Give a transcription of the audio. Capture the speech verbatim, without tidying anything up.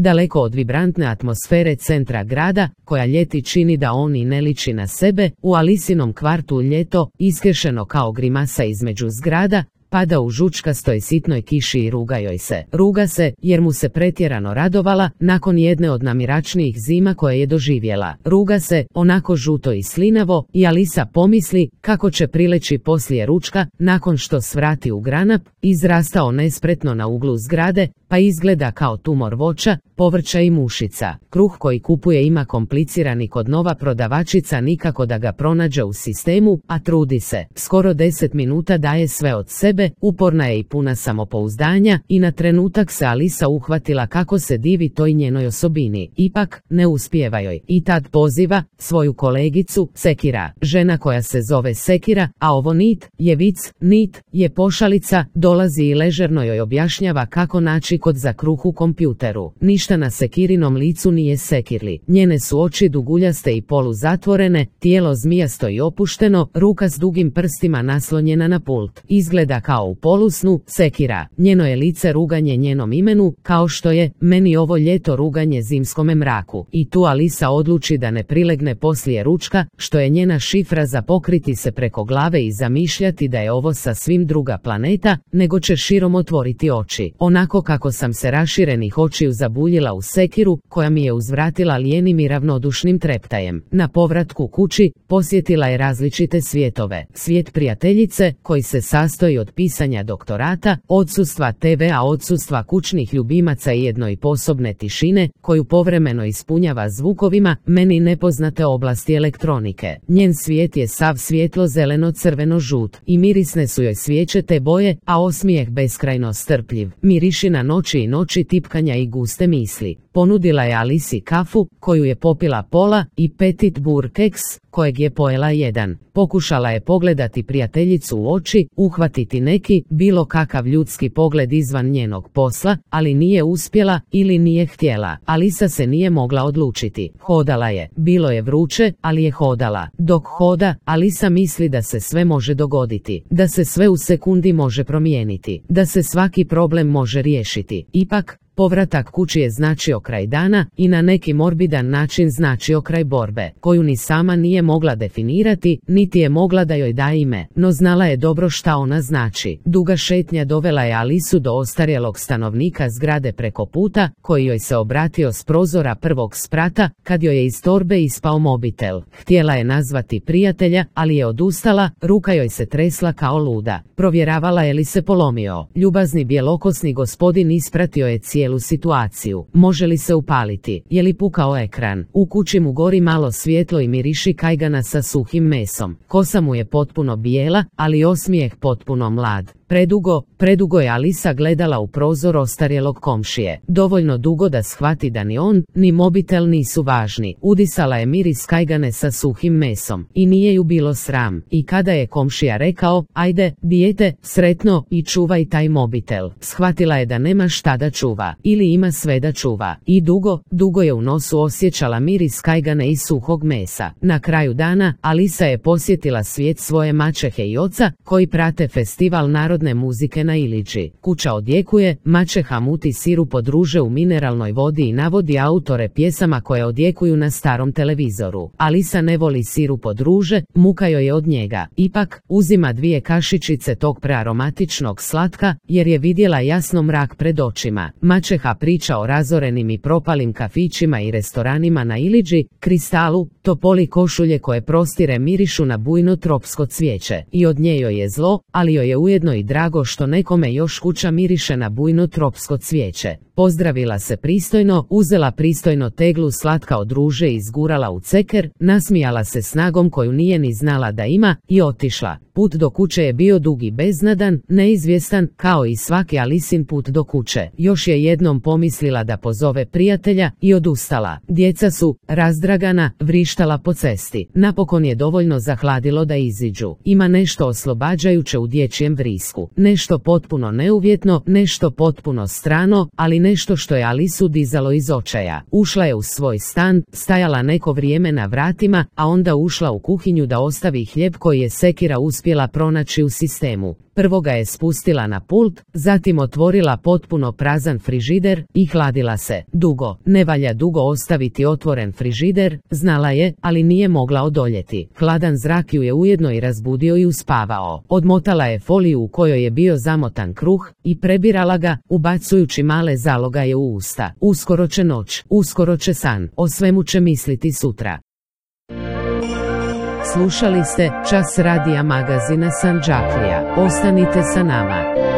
daleko od vibrantne atmosfere centra grada, koja ljeti čini da on i ne liči na sebe, u Alisinom kvartu ljeto, iskešeno kao grimasa između zgrada, pada u žučkastoj sitnoj kiši i ruga joj se. Ruga se, jer mu se pretjerano radovala, nakon jedne od namiračnijih zima koje je doživjela. Ruga se, onako žuto i slinavo, i Alisa pomisli kako će prileći poslije ručka, nakon što svrati u granap, izrastao nespretno na uglu zgrade, pa izgleda kao tumor voća, povrća i mušica. Kruh koji kupuje ima komplicirani kod nova prodavačica nikako da ga pronađe u sistemu, a trudi se. Skoro deset minuta daje sve od sebe, uporna je i puna samopouzdanja, i na trenutak se Alisa uhvatila kako se divi toj njenoj osobini. Ipak, ne uspijeva joj. I tad poziva svoju kolegicu, Sekira. Žena koja se zove Sekira, a ovo Nit je vic, Nit je pošalica, dolazi i ležerno joj objašnjava kako naći kod za kruh u kompjuteru. Ništa na Sekirinom licu nije sekirli. Njene su oči duguljaste i poluzatvorene, tijelo zmijasto i opušteno, ruka s dugim prstima naslonjena na pult. Izgleda kao u polusnu. Sekira. Njeno je lice ruganje njenom imenu, kao što je meni ovo ljeto ruganje zimskome mraku. I tu Alisa odluči da ne prilegne poslije ručka, što je njena šifra za pokriti se preko glave i zamišljati da je ovo sasvim druga planeta, nego će širom otvoriti oči. Onako kako sam se raširenih očiju zabuljila u Sekiru, koja mi je uzvratila lijenim i ravnodušnim treptajem. Na povratku kući, posjetila je različite svijetove. Svijet prijateljice, koji se sastoji od pisanja doktorata, odsustva te ve-a, odsustva kućnih ljubimaca i jednoj posobne tišine, koju povremeno ispunjava zvukovima, meni nepoznate oblasti elektronike. Njen svijet je sav svjetlo zeleno-crveno-žut, i mirisne su joj svijeće te boje, a osmijeh beskrajno strpljiv. Miriši na noći i noći tipkanja i guste misli. Ponudila je Alisi kafu, koju je popila pola, i petit bur keks, kojeg je pojela jedan. Pokušala je pogledati prijateljicu u oči, uhvatiti neki, bilo kakav ljudski pogled izvan njenog posla, ali nije uspjela ili nije htjela. Alisa se nije mogla odlučiti. Hodala je. Bilo je vruće, ali je hodala. Dok hoda, Alisa misli da se sve može dogoditi, da se sve u sekundi može promijeniti, da se svaki problem može riješiti. Ipak, povratak kući je značio kraj dana i na neki morbidan način značio kraj borbe, koju ni sama nije mogla definirati, niti je mogla da joj da ime, no znala je dobro šta ona znači. Duga šetnja dovela je Alisu do ostarjelog stanovnika zgrade preko puta, koji joj se obratio s prozora prvog sprata, kad joj je iz torbe ispao mobitel. Htjela je nazvati prijatelja, ali je odustala, ruka joj se tresla kao luda. Provjeravala je li se polomio. Ljubazni bjelokosni gospodin ispratio je cijelu situaciju. Može li se upaliti? Je li pukao ekran? U kući mu gori malo svjetlo i miriši kajgana sa suhim mesom. Kosa mu je potpuno bijela, ali osmijeh potpuno mlad. Predugo, predugo je Alisa gledala u prozor ostarjelog komšije. Dovoljno dugo da shvati da ni on, ni mobitel nisu važni. Udisala je miris kajgane sa suhim mesom. I nije ju bilo sram. I kada je komšija rekao, ajde, dijete, sretno, i čuvaj taj mobitel, shvatila je da nema šta da čuva. Ili ima sve da čuva. I dugo, dugo je u nosu osjećala miris kajgane i suhog mesa. Na kraju dana, Alisa je posjetila svijet svoje maćehe i oca, koji prate festival narodne muzike na Iliđi. Kuća odjekuje, maćeha muti sirup od ruže u mineralnoj vodi i navodi autore pjesama koje odjekuju na starom televizoru. Alisa ne voli sirup od ruže, muka joj je od njega. Ipak, uzima dvije kašičice tog prearomatičnog slatka, jer je vidjela jasno mrak pred očima. Maćeha priča o razorenim i propalim kafićima i restoranima na Iliđi, Kristalu, topoli košulje koje prostire mirišu na bujno tropsko cvijeće. I od nje joj je zlo, ali joj je ujedno i drago što nekome još kuća miriše na bujno tropsko cvijeće. Pozdravila se pristojno, uzela pristojno teglu slatka od ruže i izgurala u ceker, nasmijala se snagom koju nije ni znala da ima, i otišla. Put do kuće je bio dug i beznadan, neizvjestan, kao i svaki Alisin put do kuće. Još je jednom pomislila da pozove prijatelja i odustala. Djeca su, razdragana, vrištala po cesti. Napokon je dovoljno zahladilo da iziđu. Ima nešto oslobađajuće u dječjem vrisku. Nešto potpuno neuvjetno, nešto potpuno strano, ali nešto što je Alisu dizalo iz očaja. Ušla je u svoj stan, stajala neko vrijeme na vratima, a onda ušla u kuhinju da ostavi hljeb koji je Sekira uspjela pronaći u sistemu. Prvo ga je spustila na pult, zatim otvorila potpuno prazan frižider i hladila se. Dugo, ne valja dugo ostaviti otvoren frižider, znala je, ali nije mogla odoljeti. Hladan zrak ju je ujedno i razbudio i uspavao. Odmotala je foliju u kojoj je bio zamotan kruh i prebirala ga, ubacujući male zalogaje u usta. Uskoro će noć, uskoro će san, o svemu će misliti sutra. Slušali ste Čas radija magazina Sandžaklija. Ostanite sa nama.